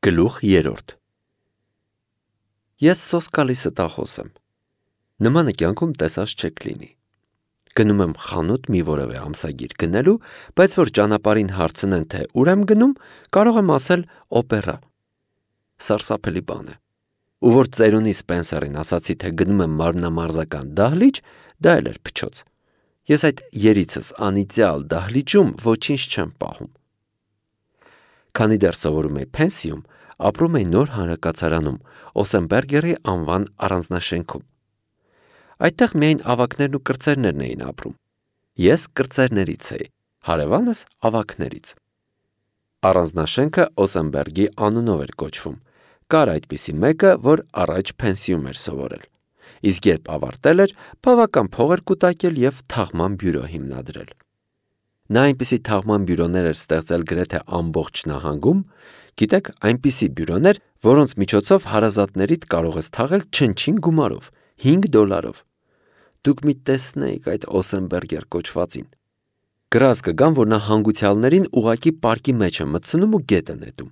Գլուխ 3 Ես սոսկալի ստախոս եմ։ Նմանը կյանքում տեսած չեք լինի։ Գնում եմ խանութ մի որևէ ամսագիր գնելու, բայց որ ճանապարհին հարցնեն, թե ուր եմ գնում, կարող եմ ասել օպերա։ Սարսափելի բան է։ Ու որ ծերունի Սպենսերին ասացի, թե գնում եմ մարմնամարզական դահլիճ, դա էլ էր փչոց։ Ես այդ երիցս անիծյալ դահլիճում ոչինչ չեմ պահում։ Քանի դեռ սովորում էի Փենսիում, ապրում էի նոր հանրակացարանում, Օսենբերգերի անվան առանձնաշենքում։ Այդտեղ միայն ավագներն ու կրտսերներն էին ապրում։ Ես կրտսերներից էի, հարևանս ավագներից։ Առանձնաշենքը Օսենբերգի անունով էր կոչվում։ Կար այդպիսի մեկը, որ առաջ Փենսիում էր սովորել։ Իսկ երբ ավարտել էր, բավական փող էր կուտակել և թաղման բյուրո հիմնադրել։ Նա այնպիսի թաղման բյուրոներ էր ստեղծել գրեթե ամբողջ նահանգում, գիտեք, այնպիսի բյուրոներ, որոնց միջոցով հարազատներիդ կարող ես թաղել չնչին գումարով, $5։ Դուք մի տեսնեիք այդ Օսենբերգեր կոչվածին։ Գրազ կգամ, որ նա հանգուցյալներին ուղղակի պարկի մեջ է մտցնում ու գետ է նետում։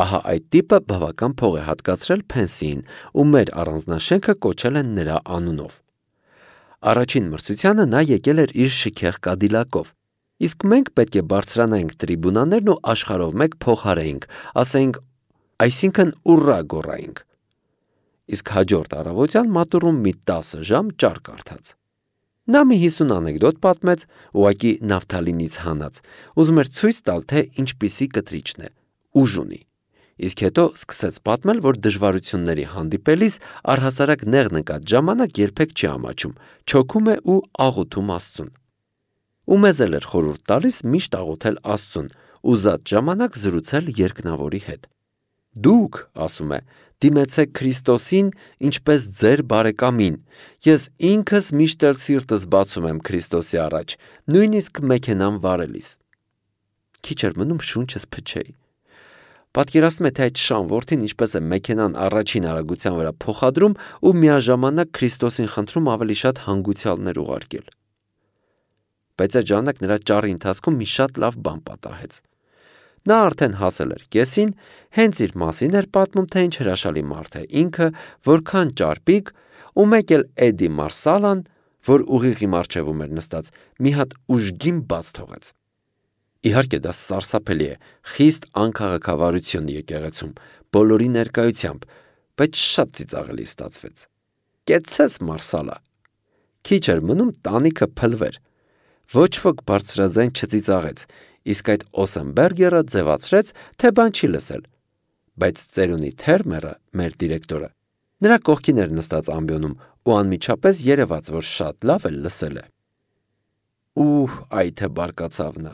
Ահա այդ տիպը բավական փող է հատկացրել Փենսիին ու մեր առանձնաշենքը կոչել են նրա անունով։ Առաջին մրցությանը նա եկել էր իր շքեղ կադիլակով, իսկ մենք պետք է բարձրանայինք տրիբունաներն ու աշխարհով մեկ փոխարեինք, ասեինք, այսինքն ուռա գոռայինք։ Իսկ հաջորդ առավոտյան մատուռում մի 10 ժամ ճար կարդաց։ Նա մի 50 անեկդոտ պատմեց, ուղղակի նավթալինից հանած, ուզում էր ցույց տալ, թե ինչպիսի կտրիչն է, ուժ ունի։ Իսկ հետո սկսեց պատմել, որ դժվարությունների հանդիպելիս առհասարակ նեղ նկատ ժամանակ երբեք չի ամաչում, չոքում է ու աղոթում Աստծուն։ Ու մեզ էլ էր խորհուրդ տալիս միշտ աղոթել Աստծուն, ուզած ժամանակ զրուցել երկնավորի հետ։ Դուք, ասում է, դիմեցեք Քրիստոսին, ինչպես ձեր բարեկամին։ Ես ինքս միշտ էլ սիրտս բացում եմ Քրիստոսի առաջ, նույնիսկ մեքենան վարելիս։ Քիչ էր մնում շունչս փչեի։ Պատկերացնում եք, թե այդ շան որդին ինչպես է մեքենան առաջին արագության վրա փոխադրում ու միաժամանակ Քրիստոսին խնդրում ավելի շատ հանգուցյալներ ուղարկել։ Բայց այդ ժամանակ նրա ճառի ընթացքում մի շատ լավ բան պատահեց։ Նա արդեն հասել էր կեսին, հենց իր մասին էր պատմում, թե ինչ հրաշալի մարդ է ինքը, որքան ճարպիկ, ու մեկ էլ Էդի Մարսալան, որ ուղիղի մառչևում էր նստած, մի հատ ուժգին բաց թողեց։ Իհարկե դա սարսափելի է, խիստ անքաղաքավարություն եկեղեցում, բոլորի ներկայությամբ, բայց շատ ծիծաղելի ստացվեց։ Կեցցես Մարսալա։ Քիչ էր մնում տանիքը փլվեր։ Ոչ ոք բարձրաձայն չծիծաղեց, իսկ այդ Օսենբերգերը ձևացրեց, թե բան չի լսել։ Բայց ծերունի Թերմերը, մեր դիրեկտորը, նրա կողքին էր նստած ամբիոնում ու անմիջապես երևաց, որ շատ լավ էլ լսել է։ Այ թե բարկացավ նա։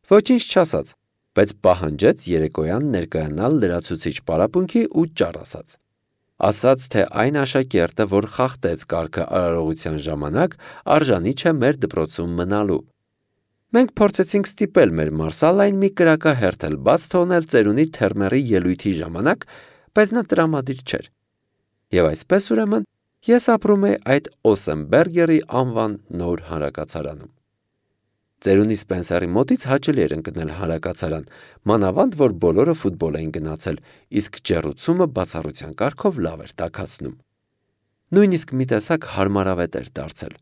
Ոչինչ չասաց, բայց պահանջեց երեկոյան ներկայանալ լրացուցիչ պարապմունքի ու ճառ ասաց։ Ասաց, թե այն աշակերտը, որ խախտեց կարգը արարողության ժամանակ, արժանի չէ մեր դպրոցում մնալու։ Մենք փորձեցինք ստիպել մեր Մարսալային մի կրակահերթ էլ բաց թողնել ծերունի Թերմերի ելույթի ժամանակ, բայց նա տրամադիր չէր։ Եվ այսպես ուրեմն ես ապրում էի այդ Օսենբերգերի անվան նոր հանրակացարանում։ Ծերունի Սպենսերի մոտից հաճելի էր ընկնել հանրակացարան, մանավանդ որ բոլորը ֆուտբոլ էին գնացել, իսկ ջեռուցումը բացառության կարգով լավ էր տաքացնում։ Նույնիսկ մի տեսակ հարմարավետ էր դարձել։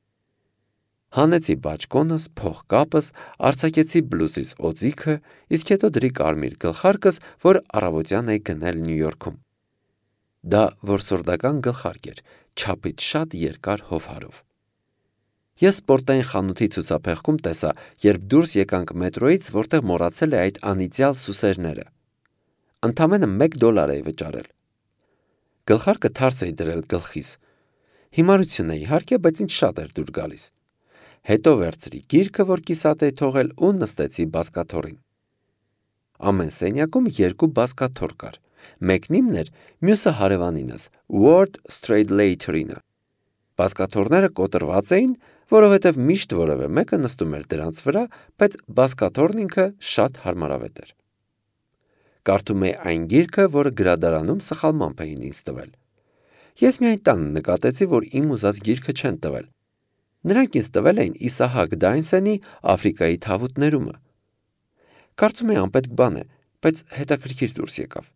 Հանեցի բաճկոնս, փողկապս, արձակեցի բլուզիս օձիքը, իսկ հետո դրի կարմիր գլխարկս, որ առավոտյան էի գնել Նյու Յորքում։ Դա որսորդական գլխարկ էր, չափից շատ երկար հովհարով։ Ես սպորտային խանութի ցուցափեղկում տեսա, երբ դուրս եկանք մետրոյից, որտեղ մոռացել է այդ անիծյալ սուսերները։ Ընդամենը $1 էի վճարել։ Գլխարկը թարս էի դրել գլխիս։ Հիմարություն է իհարկե, բայց ինձ շատ էր դուր գալիս։ Հետո վերցրի գիրքը, որ կիսատ էի թողել ու նստեցի բազկաթոռին։ Ամեն սենյակում 2 բազկաթոռ կար։ Մեկն իմն էր, մյուսը հարևանինս, Ward Stradlater-ինը։ Բազկաթոռները կոտրված էին, որովհետև միշտ որևէ մեկը նստում էր դրանց վրա, բայց բազկաթոռն ինքը շատ հարմարավետ էր։ Կարդում էի այն գիրքը, որը գրադարանում սխալմամբ էին ինձ տվել։ Ես միայն տանը նկատեցի, որ իմ ուզած գիրքը չեն տվել։ Նրանք ինձ տվել էին Իսահակ Դայնսենի Աֆրիկայի թավուտներումը։ Կարծում էի անպետք բան է, բայց հետաքրքիր դուրս եկավ։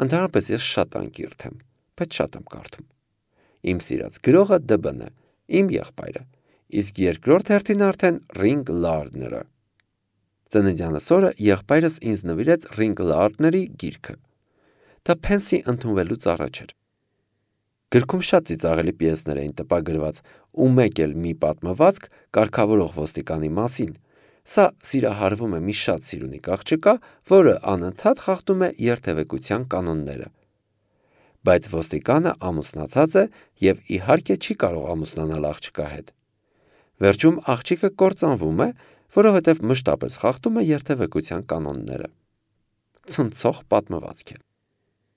Ընդհանրապես ես շատ անկիրթ եմ, բայց շատ եմ կարդում։ Իմ սիրած գրողը ԴԲ-ն է, իմ եղբայրը, իսկ երկրորդ հերթին արդեն Ռինգ Լարդները։ Ծննդյանս օրը եղբայրս ինձ նվիրեց Ռինգ Լարդների գիրքը։ Դա Փենսի ընդունվելուց առաջ էր։ Գրքում շատ ծիծաղելի պիեսներ էին տպագրված, ու մեկ էլ մի պատմվածք կարգավորող ոստիկանի մասին։ Սա սիրահարվում է մի շատ սիրունիկ աղջկա, որը անընդհատ խախտում է երթևեկության կանոնները։ Բայց ոստիկանը ամուսնացած է և իհարկե չի կարող ամուսնանալ աղջկա հետ։ Վերջում աղջիկը կործանվում է, որովհետև մշտապես խախտում է երթևեկության կանոնները։ Ցնցող պատմվածք է։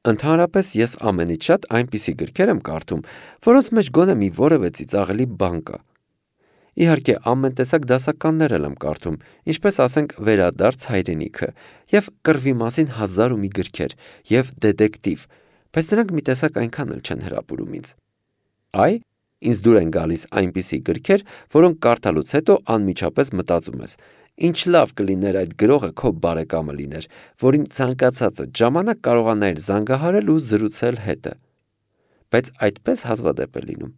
Ընդհանրապես ես ամենից շատ այնպիսի գրքեր եմ կարդում, որոնց մեջ գոնե մի որևէ ծիծաղելի բան կա։ Իհարկե ամեն տեսակ դասականներ եմ կարդում, ինչպես ասենք Վերադարձ հայրենիքը, և կռվի մասին 1001 գրքեր, և դետեկտիվ, բայց նրանք մի տեսակ այնքան էլ չեն հրապուրում ինձ։ Այ, ինձ դուր են գալիս այնպիսի գրքեր, որոնք կարդալուց հետո անմիջապես մտածում ես. ինչ լավ կլիներ այդ գրողը քո բարեկամը լիներ, որին ցանկացածը ժամանակ կարողանայր զանգահարել ու զրուցել հետը։ Բայց այդպես հազվադեպ է լինում։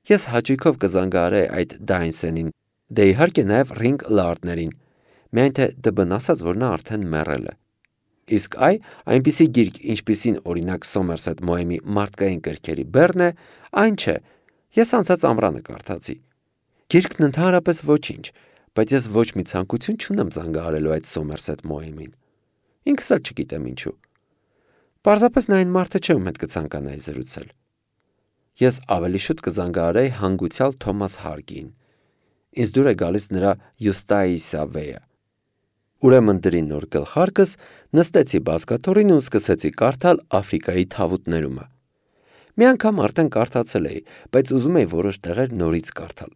Ես հաճույքով կզանգահարեի այդ Դայնսենին, դե իհարկե նաև Ռինգ Լարդներին, միայն թե ԴԲ-ն ասաց, որ նա արդեն մեռել է։ Իսկ այնպիսի գիրք, ինչպիսին օրինակ Սոմերսեթ Մոեմի մարդկային կրքերի բեռն է, այն չէ, ես անցած ամռանը կարդացի։ Գիրքն ընդհանրապես ոչինչ, բայց ես ոչ մի ցանկություն չունեմ զանգահարելու այդ Սոմերսեթ Մոեմին։ Ինքս էլ չգիտեմ ինչու։ Պարզապես նա այն մարդը չէ, ում հետ կցանկանայի զրուցել։ Ես ավելի շուտ կզանգահարեի հանգուցյալ Թոմաս Հարգին։ Ինձ դուր է գալիս նրա Յուստայիսա Վեյը։ Ուրեմն դրի նոր գլխարկս, նստեցի բազկաթոռին ու սկսեցի կարդալ Աֆրիկայի թավուտներումը։ Մի անգամ արդեն կարդացել էի, բայց ուզում էի որոշ տեղեր նորից կարդալ։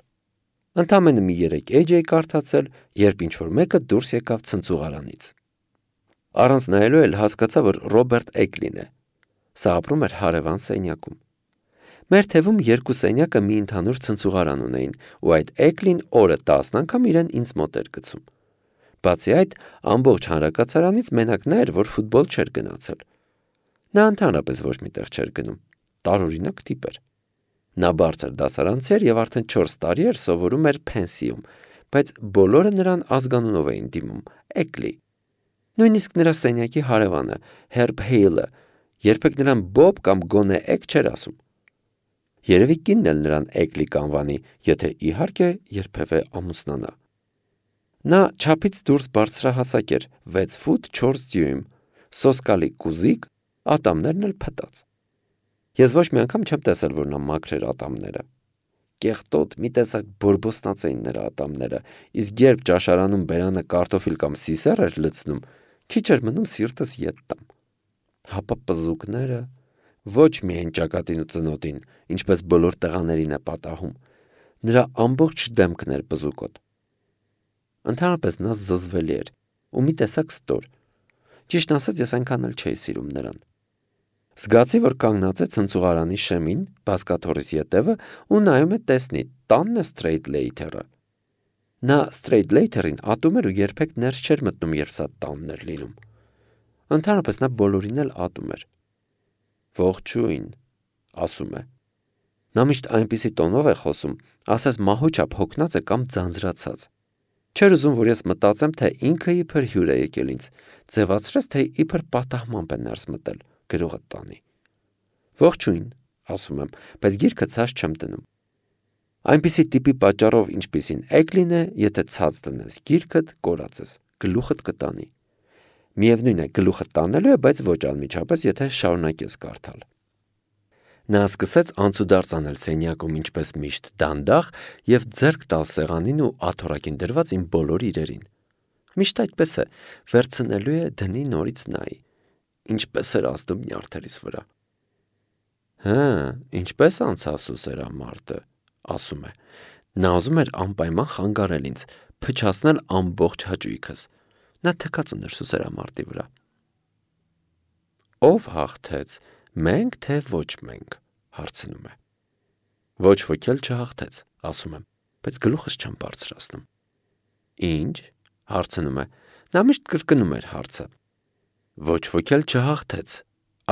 Ընդամենը մի 3 էջ էի կարդացել, երբ ինչ-որ մեկը դուրս եկավ ցնցուղարանից։ Առանց նայելու էլ հասկացա, որ Ռոբերտ Էկլին է։ Սա ապրում էր հարևան սենյակում։ Մեր թևում 2 սենյակը մի ընդհանուր ցնցուղարան ունեին, ու այդ Էկլին օրը 10 անգամ իրեն ինձ մոտ էր գցում։ Բացի այդ, ամբողջ հանրակացարանից մենակ նա էր, որ ֆուտբոլ չէր գնացել։ Նա ընդհանրապես ոչ մի տեղ չէր գնում։ Տարօրինակ տիպ էր։ Նա բարձր դասարանցի էր և արդեն 4 տարի էր սովորում էր Փենսիում, բայց բոլորը նրան ազգանունով էին դիմում՝ Էկլի։ Նույնիսկ նրա սենյակի հարևանը, Հերբ Հեյլը, երբեք նրան Բոբ կամ գոնե Էկ չէր ասում։ Երևի կինն էլ նրան Էկլի կանվանի, եթե իհարկե երբևէ ամուսնանա։ Նա չափից դուրս բարձրահասակ էր, 6 ֆուտ 4 դյույմ, սոսկալի կուզիկ, ատամներն էլ փտած։ Ես ոչ մի անգամ չեմ տեսել, որ նա մաքրեր ատամները։ Կեղտոտ մի տեսակ բորբոսնած էին նրա ատամները, իսկ երբ ճաշարանում բերանը կարտոֆիլ կամ սիսեռ էր լցնում, քիչ էր մնում սիրտս ետ տամ։ Հապա պզուկները, ոչ միայն ճակատին ու ծնոտին, ինչպես բոլոր տղաներին է պատահում, նրա ամբողջ դեմքն էր պզուկոտ։ Ընդհանրապես նա զզվելի էր ու մի տեսակ ստոր։ Ճիշտն ասած, ես այնքան էլ չէի սիրում նրան։ Զգացի, որ կանգնած է ցնցուղարանի շեմին, բազկաթոռիս ետևը ու նայում է տեսնի, տանն է Սթրեյթլեյթերը։ Նա Սթրեյթլեյթերին ատում էր ու երբեք ներս չէր մտնում, երբ սա տանն էր լինում։ Ընդհանրապես նա բոլորին էլ ատում էր։ Ողջույն, ասում է։ Նա միշտ այնպիսի տոնով է խոսում, ասես մահու չափ հոգնած է կամ ձանձրացած։ Չէր ուզում, որ ես մտածեմ, թե ինքը իբր հյուր է եկել ինձ, ձևացրեց, թե իբր պատահմամբ է ներս մտել գրողը տանի։ Ողջույն, ասում եմ, բայց գիրքը ցած չեմ դնում։ Այնպիսի տիպի պատճառով, ինչպիսին Էկլին է, եթե ցած դնես գիրքդ, կորած ես, գլուխդ կտանի։ Միևնույն է, գլուխդ տանելու է, բայց ոչ անմիջապես, եթե շարունակես կարդալ։ Նա սկսեց անցուդարձ անել սենյակում ինչպես միշտ դանդաղ և ձեռք տալ սեղանին ու աթոռակին դրված իմ բոլոր իրերին։ Միշտ այդպես է, վերցնելու է դնի նորից նայի, ինչպես էր ազդում նյարդերիս վրա։ Հը, ինչպես անցավ սուսերամարտը, ասում է։ Նա ուզում էր անպայման խանգարել ինձ, փչացնել ամբողջ հաճույքս։ Նա թքած ուներ սուսերամարտի վրա։ Ով հաղթեց, մենք թե ոչ մենք, հարցնում է։ Ոչ ոք էլ չհաղթեց, ասում եմ, բայց գլուխս չեմ բարձրացնում։ Ինչ, հարցնում է։ Նա միշտ կրկնում էր հարցը։ Ոչ ոք էլ չհաղթեց։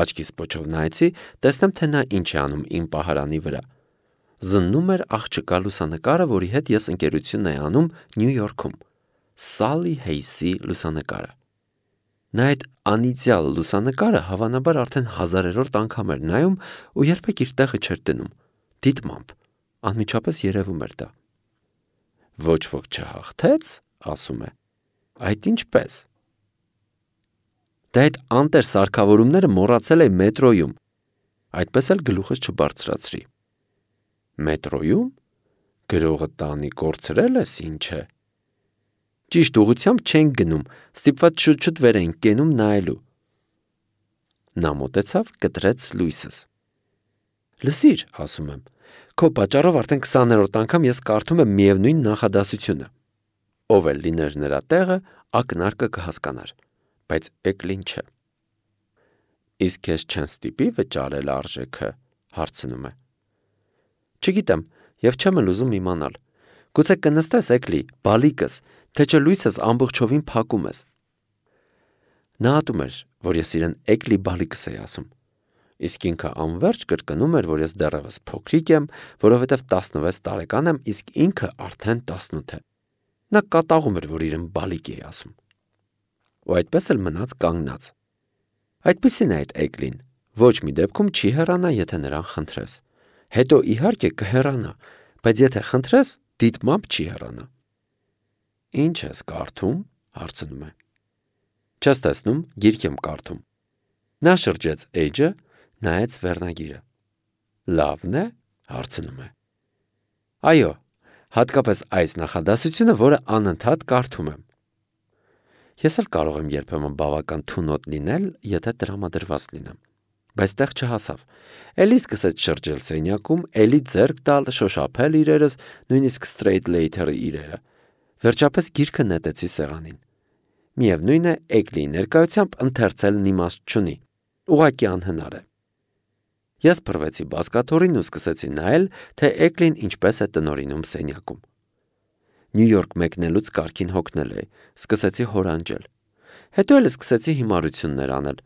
Աչքիս պոչով նայեցի, տեսնեմ, թե նա ինչ է անում իմ պահարանի վրա։ Զննում էր աղջկա լուսանկարը, որի հետ ես ընկերություն էի անում Նյու Յորքում։ Սալի Հեյսի լուսանկարը։ Նա այդ անիծյալ լուսանկարը հավանաբար արդեն 1000-րդ անգամ էր նայում ու երբեք իր տեղը չէր դնում։ Դիտմամբ, անմիջապես երևում էր դա։ Ոչ ոք չհաղթեց, ասում է։ Այդ ինչպես։ Դա այդ անտեր սարքավորումները մոռացել է մետրոյում։ Այդպես էլ գլուխս չբարձրացրի։ Մետրոյում։ Գրողը տանի կորցրել ես, ինչ է։ Ճիշտ ուղղությամբ չենք գնում, ստիպված շուտ-շուտ վեր ենք կենում նայելու։ Նա մոտեցավ, կտրեց լույսս։ Լսիր, ասում եմ, քո պատճառով արդեն 20-րդ անգամ ես կարդում եմ միևնույն նախադասությունը։ Ով էլ լիներ նրա տեղը, ակնարկը կհասկանար, բայց Էկլին չէ։ Իսկ քեզ չեն ստիպի վճարել արժեքը, հարցնում է։ Չգիտեմ, եւ չեմ էլ ուզում իմանալ։ Գուցե կնստես, Էկլի, բալիկս, թե չէ լույսս ամբողջովին փակում ես։ Նա ատում էր, որ ես իրեն Էկլի բալիկս էի ասում։ Իսկ ինքը անverջ կրկնում էր, որ ես դեռևս փոքրիկ եմ, որովհետև 16 տարեկան եմ, իսկ ինքը արդեն 18 է։ Նա կատաղում էր, որ իրեն բալիկ էի ասում։ Ու այդպես էլ մնաց կանգնած։ Այդպիսին է այդ Էկլին, ոչ մի դեպքում չի հեռանա, եթե նրան խնդրես։ Հետո իհարկե կհեռանա, բայց եթե խնդրես, դիտմամբ չի հեռանա։ Ինչ ես կարդում, հարցնում է։ Չես տեսնում, գիրք եմ կարդում։ Նա շրջեց էջը, նայեց վերնագիրը։ Լավն է, հարցնում է։ Այո, հատկապես այս նախադասությունը, որը անընդհատ կարդում եմ։ Ես էլ կարող եմ երբեմն բավական թունոտ լինել, եթե տրամադրված լինեմ։ Բայց տեղ չհասավ։ Էլի սկսեց շրջել սենյակում, էլի ձեռք տալ, շոշափել իրերս, նույնիսկ straight later-ը իրերը։ Վերջապես գիրքը նետեցի սեղանին։ Միևնույն է, Էկլիի ներկայությամբ ընթերցելն իմաստ չունի։ Ուղղակի անհնար է։ Ես փռվեցի բազկաթոռին ու սկսեցի նայել, թե Էկլին ինչպես է տնօրինում սենյակում։ Նյու Յորք մեկնելուց կարգին հոգնել էի, սկսեցի հորանջել։ Հետո էլ սկսեցի հիմարություններ անել։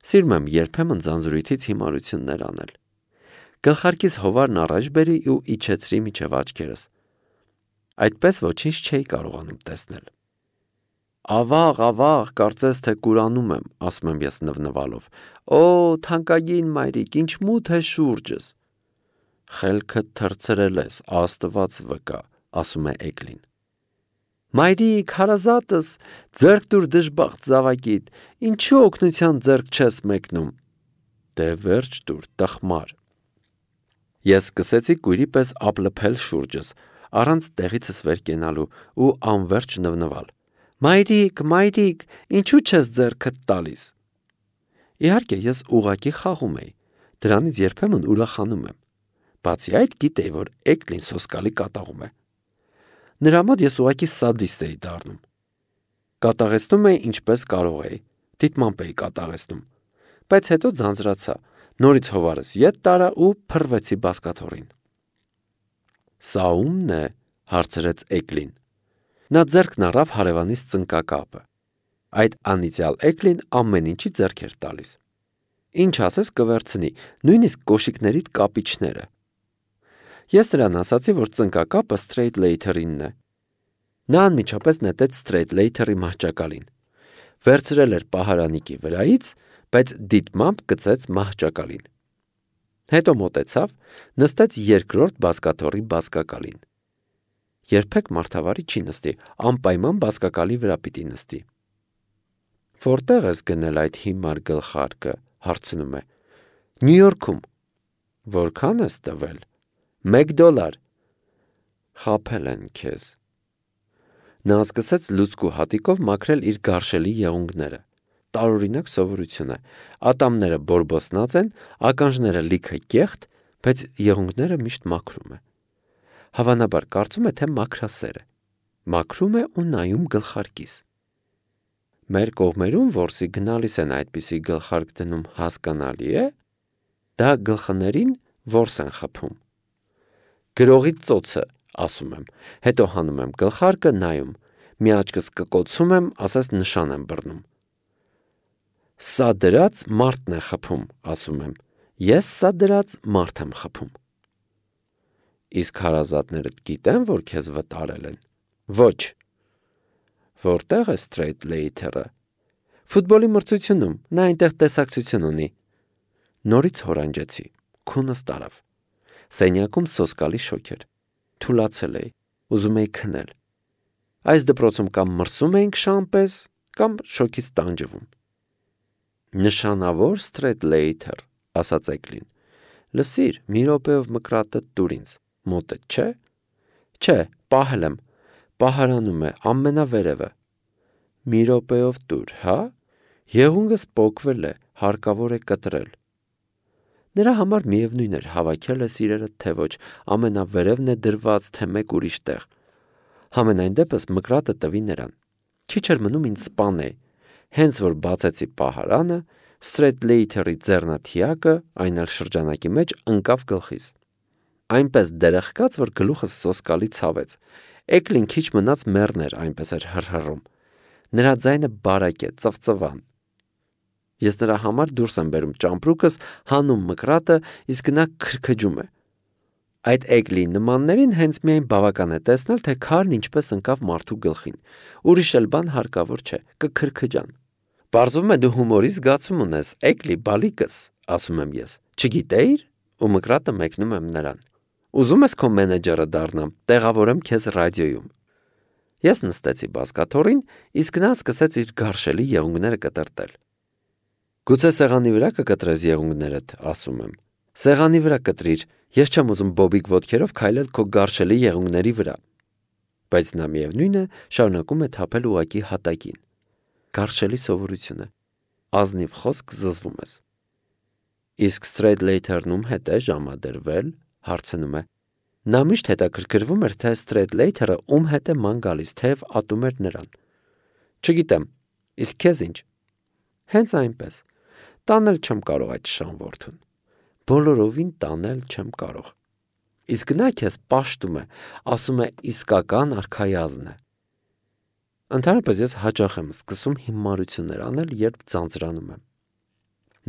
Սիրում եմ երբեմն ձանձրույթից հիմարություններ անել։ Գլխարկիս հովարն առաջ բերի ու իջեցրի միջև աչքերս։ Այդպես ոչինչ չէի կարողանում տեսնել։ Ավաղ, կարծես թե կուրանում եմ, ասում եմ ես նվնվալով։ Օ, թանկագին մայրիկ, ինչ մութ է շուրջս։ Խելքդ թռցրել ես, Աստված վկա, ասում է Էկլին։ Մայրիկ, հարազատս, ձեռք դուր դժբախտ զավակիդ, ինչու օգնության ձեռք չես մեկնում։ Դե վերջ դուր, տխմար։ Ես սկսեցի կույրի պես ափլփել շուրջս, առանց տեղիցս վեր կենալու ու անverջ նվնվալ։ Մայրիկ, ինչու չես ձեռքդ տալիս։ Իհարկե, ես ուղակի խաղում էի, դրանից երբեմն ուրախանում եմ։ Բացի այդ, գիտեի, որ Էկլին սոսկալի կատաղում է։ Նրա մոտ ես ուղղակի սադիստ էի դառնում։ Կատաղեցնում էի ինչպես կարող էի, դիտմամբ էի կատաղեցնում, բայց հետո ձանձրացա, նորից հովարս ետ տարա ու փռվեցի բազկաթոռին։ Սա ո՞ւմն է, հարցրեց Էկլին։ Նա ձեռքն առավ հարևանից ծնկակապը։ Այդ անիծյալ Էկլին ամեն ինչի ձեռք էր տալիս։ Ինչ ասես կվերցնի, նույնիսկ կոշիկներիդ կապիչները։ Ես նրան ասացի, որ ծնկակապը straight later-ինն է։ Նա անմիջապես նետեց straight later-ի մահճակալին։ Վերցրել էր պահարանիկի վրայից, բայց դիտմամբ գցեց մահճակալին։ Հետո մոտեցավ, նստեց երկրորդ բազկաթոռի բազկակալին։ Երբեք մարդավարի չի նստի, անպայման բազկակալի վրա պիտի նստի։ Որտեղ ես գնել այդ հիմար գլխարկը, հարցնում է։ Նյու Յորքում։ Որքան ես տվել։ $1։ Խաբել են քեզ։ Նա սկսեց լուցկու հատիկով մաքրել իր գարշելի եղունգները։ Տարօրինակ սովորություն է։ Ատամները բորբոսնած են, ականջները լիքը կեղտ, բայց եղունգները միշտ մաքրում է։ Հավանաբար կարծում է, թե մաքրասեր է։ Մաքրում է ու նայում գլխարկիս։ Մեր կողմերում որսի գնալիս են այդպիսի գլխարկ դնում, հասկանալի է։ Դա գլխներին որս են խփում։ Գրողի ծոցը, ասում եմ, հետո հանում եմ գլխարկը, նայում, մի աչքս կկոցում եմ, ասես նշան եմ բռնում։ Սա դրած մարդն է խփում, ասում եմ։ Ես սա դրած մարդ եմ խփում։ Իսկ հարազատներդ գիտեն, որ քեզ վտարել են։ Ոչ։ Որտեղ է Straight Later-ը։ Ֆուտբոլի մրցությունում, նա այնտեղ տեսակցություն ունի։ Նորից հորանջեցի, քունս տարավ։ Սենյակում սոսկալի շոկ էր։ Թուլացել էի, ուզում էի քնել։ Այս դպրոցում կամ մրսում էինք շամպես, կամ շոկից տանջվում։ Նշանավոր Straight Later, ասաց Էգլին։ Լսիր, մի րոպեով մկրատը տուր ինձ, մոտդ չէ։ Չէ, պահել եմ, պահարանում է, ամենավերևը։ Մի րոպեով տուր, հա։ Եղունգս պոկվել է, հարկավոր է կտրել։ Նրա համար միևնույն էր հավաքել է սիրելը, թե ոչ, ամենավերևն է դրված, թե մեկ ուրիշ տեղ։ Համենայն դեպս մկրատը տվի նրան։ Քիչ էր մնում ինձ սպանեի։ Հենց որ բացեցի պահարանը, Straight Later-ի ձեռնաթիակը, այն էլ շրջանակի մեջ, ընկավ գլխիս։ Այնպես դերեղկաց, որ գլուխս սոսկալի ցավեց։ Էգլին քիչ մնաց մեռներ, այնպես էր հռհռում։ Նրա ձայնը բարակ է, ծվծվան։ Ես նրա համար դուրս եմ բերում ճամպրուկս, հանում մկրատը, իսկ նա քրքջում է։ Այդ Էգլի նմաններին հենց միայն բավական է տեսնել, թե քարն ինչպես ընկավ մարդու գլխին։ Ուրիշ էլ բան հարկավոր չէ, կքրքջան։ Պարզվում է դու հումորի զգացում ունես, Էգլի բալիկս, ասում եմ ես։ Չգիտեիր, ու մկրատը մեկնում եմ նրան։ Ուզում ես քո մենեջերը դառնամ, տեղավորեմ քեզ ռադիոյում։ Ես նստեցի բազկաթոռին, իսկ նա սկսեց իր գարշելի եղունգները կտրտել։ Գուցե սեղանի վրա կկտրես եղունգներդ, ասում եմ։ Սեղանի վրա կտրիր, ես չեմ ուզում բոբիկ ոտքերով քայլել քո գարշելի եղունգների վրա։ Բայց նա միևնույն է, շարունակում է թափել ուղակի հատակին։ Գարշելի սովորություն է։ Ազնիվ խոսք զզվում ես։ Իսկ Straight Later-ն ում հետ է ժամադրվել, հարցնում է։ Նա միշտ հետաքրքրվում էր, թե Straight Later-ը ում հետ է ման գալիս, թեև ատում էր նրան։ Չգիտեմ, իսկ քեզ ինչ։ Հենց այնպես։ Տանել չեմ կարող այդ շանվորդուն։ Բոլորովին տանել չեմ կարող։ Իսկ նա քեզ պաշտում է, ասում է իսկական արքայազն է։ Ընդհանրապես ես հաճախ եմ սկսում հիմարություններ անել, երբ ձանձրանում եմ։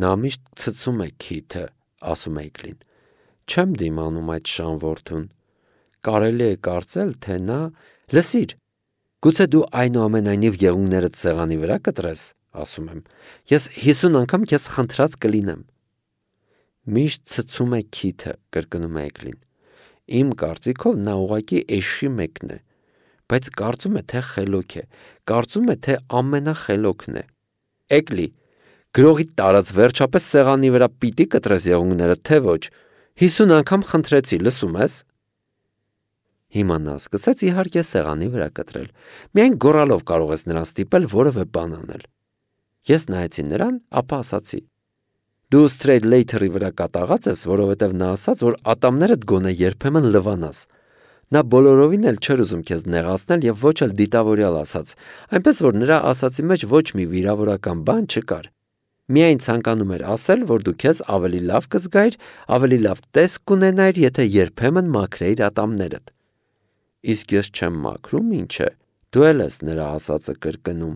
Նա միշտ ցցում է քիթը, ասում է Էգլին։ Չեմ դիմանում այդ շանվորդուն։ Կարելի է կարծել, թե նա… Լսիր, գուցե դու այնուամենայնիվ եղունգներդ սեղանի վրա կտրես, ասում եմ։ Ես 50 անգամ քեզ խնդրած կլինեմ։ Միշտ ցցում է քիթը, կրկնում է Էգլին։ Իմ կարծիքով նա ուղղակի էշի մեկն է, բայց կարծում է, թե խելոք է, կարծում է, թե ամենախելոքն է։ Էգլի, գրողի տարած վերջապես սեղանի վրա պիտի կտրես եղունգները, թե ոչ։ 50 անգամ խնդրեցի, լսում ես։ Հիմա նա սկսեց իհարկե սեղանի վրա կտրել։ Միայն գոռալով կարող ես նրան ստիպել որևէ բան անել։ Ես նայեցի նրան, ապա ասացի. Դու Straight Later-ի վրա կատաղած ես, որովհետև նա ասաց, որ ատամներդ գոնե երբեմն լվանաս։ Նա բոլորովին էլ չէր ուզում քեզ նեղացնել եւ ոչ էլ դիտավորյալ ասաց, այնպես որ նրա ասացի մեջ ոչ մի վիրավորական բան չկար։ Միայն ցանկանում էր ասել, որ դու քեզ ավելի լավ կզգայիր, ավելի լավ տեսք կունենայիր, եթե երբեմն մաքրեիր ատամներդ։ Իսկ ես չեմ մաքրում, ինչ է։ Դու էլ ես նրա ասածը կրկնում։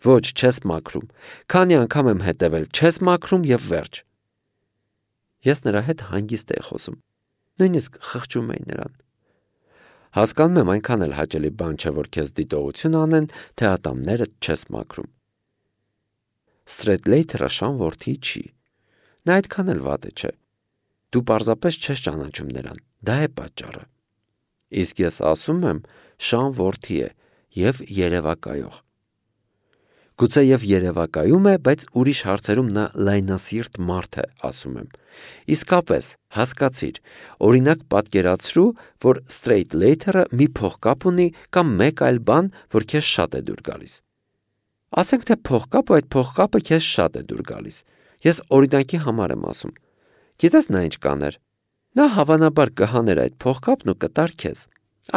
Ոչ, չես մաքրում։ Քանի անգամ եմ հետևել, չես մաքրում եւ վերջ։ Ես նրա հետ հանգիստ էի խոսում։ Նույնիսկ խղճում էի նրան։ Հասկանում եմ, այնքան էլ հաճելի բան չէ, որ քեզ դիտողություն անեն, թե ատամներդ չես մաքրում։ Straight Later-ը շանվորդի չի։ Նա այդքան էլ վատը չէ։ Դու պարզապես չես ճանաչում նրան։ Դա է պատճառը։ Իսկ ես ասում եմ, շանվորդի է եւ երևակայող։ Գուցե եւ երևակայում է, բայց ուրիշ հարցերում նա լայնասիրտ մարդ է, ասում եմ։ Իսկապես, հասկացիր, օրինակ պատկերացրու, որ Straight Later-ը մի փողկապ ունի կամ մեկ այլ բան, որ քեզ շատ է դուր գալիս։ Ասենք թե փողկապը այդ փողկապը քեզ շատ է դուր գալիս։ Ես օրինակի համար եմ ասում։ Գիտես նա ինչ կաներ։ Նա հավանաբար կհաներ այդ փողկապն ու կտար քեզ։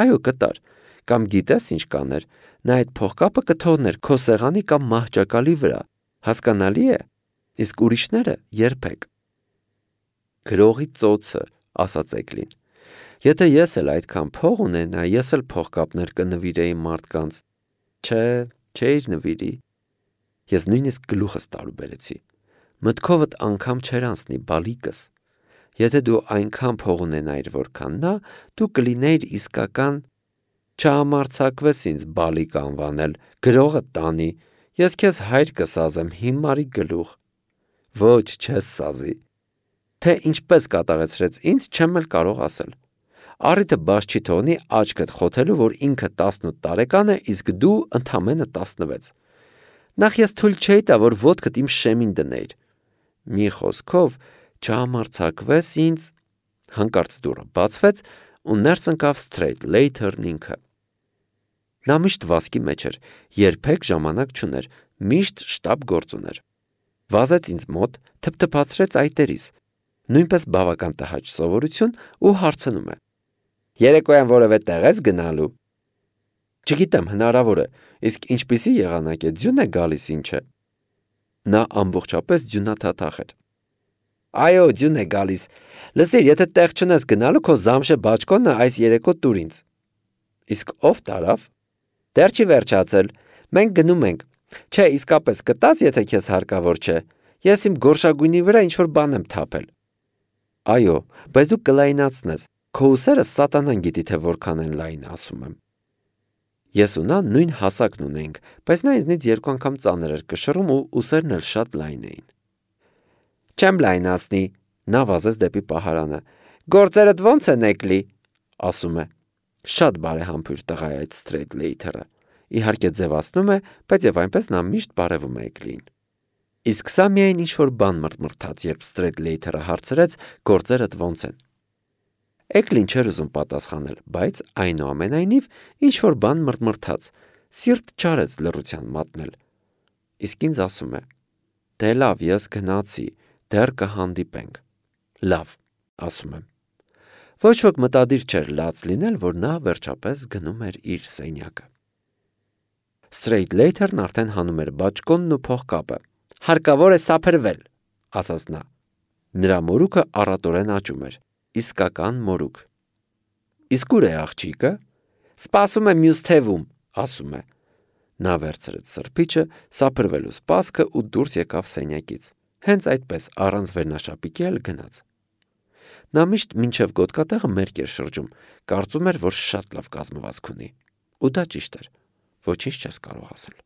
Այո, կտար։ Կամ գիտես ինչ կաներ։ Նա այդ փողկապը կթողներ քո սեղանի կամ մահճակալի վրա։ Հասկանալի է։ Իսկ ուրիշները երբեք։ Գրողի ծոցը, ասաց Էգլին։ Եթե ես էլ այդքան փող ունենա, ես էլ փողկապներ կնվիրեի մարդկանց։ Չէ, չէիր նվիրի։ Ես նույնիսկ գլուխս տարուբերեցի։ Մտքովդ անգամ չէր անցնի բալիկս։ Եթե դու այնքան փող ունենայիր, որքան նա, դու կլինեիր իսկական, չհամարձակվես ինձ բալիկ անվանել, գրողը տանի, ես քեզ հայր կսազեմ հիմարի գլուխ։ Ոչ, չես սազի։ Թե ինչպես կատաղեցրեց ինձ, չեմ էլ կարող ասել։ Առիթը բաց չի թողնի աչքդ խոթելու, որ ինքը 18 տարեկան է, իսկ դու ընդամենը 16։ Նախ ես թույլ չէի տա, որ ոտքդ իմ շեմին դնեիր։ Մի խոսքով, չհամարձակվես ինձ, հանկարծ դուռը բացվեց ու ներս ընկավ Սթրեյթլեյթերն ինքը։ Նա միշտ վազքի մեջ էր, երբեք ժամանակ չուներ, միշտ շտապ գործ ուներ։ Վազեց ինձ մոտ, թփթփացրեց այտերիս, նույնպես բավական տհաճ սովորություն ու հարցնում է. Երեկոյան որևէ տեղ ես գնալու։ Չգիտեմ, հնարավոր է, իսկ ինչպիսի եղանակ է, ձյուն է գալիս ինչ է։ Նա ամբողջապես ձյունաթաթախ էր։ Այո, ձյուն է գալիս։ Լսիր, եթե տեղ չունես գնալու, քո զամշե բաճկոնը այս երեկո տուր ինձ։ Իսկ ով տարավ։ Դեռ չի վերջացել։ Մենք գնում ենք։ Չէ, իսկապես կտաս, եթե քեզ հարկավոր չէ։ Ես իմ գորշագույնի վրա ինչ-որ բան եմ թափել։ Այո, բայց դու կլայնացնես։ Քո ուսերը սատանան գիտի, թե որքան են լայն, ասում եմ։ Ես ու նա նույն հասակն ունեինք, բայց նա ինձնից 2 անգամ ծանր էր կշռում ու ուսերն էլ շատ լայն էին։ Չեմ լայնացնի, նա վազեց դեպի պահարանը։ Գործերդ ո՞նց են եկլի, ասում է։ Շատ բարեհամբույր տղա է այդ Սթրեյթլեյթերը։ Իհարկե ձևացնում է, բայց եւ այնպես նա միշտ բարևում է Էկլին։ Իսկ սա միայն ինչ-որ բան մրթմրթաց, երբ Սթրեյթլեյթերը հարցրեց գործերդ ո՞նց են։ Էկլին չէր ուզում պատասխանել, բայց այնուամենայնիվ ինչ-որ բան մրթմրթաց, սիրտ չարեց լռության մատնել։ Իսկ ինձ ասում է. Դե լավ, ես գնացի, դեռ կհանդիպենք։ Լավ, ասում եմ։ Ոչ ոք մտադիր չէր լաց լինել, որ նա վերջապես գնում էր իր սենյակը։ Սթրեյթլեյթերն արդեն հանում էր բաճկոնն ու փողկապը։ Հարկավոր է սափրվել, ասաց նա։ Նրա մորուքը առատորեն աճում էր։ Իսկական մորուք։ Իսկ ուր է աղջիկը։ Սպասում է մյուս թևում, ասում է։ Նա վերցրեց սրբիչը, սափրվելու սպասքը ու դուրս եկավ սենյակից։ Հենց այդպես առանց վերնաշապիկի էլ գնաց։ Նա միշտ մինչև գոտկատեղը մերկ էր շրջում, կարծում էր, որ շատ լավ կազմվածք ունի։ Ու դա ճիշտ էր։ Ոչինչ չես կարող ասել։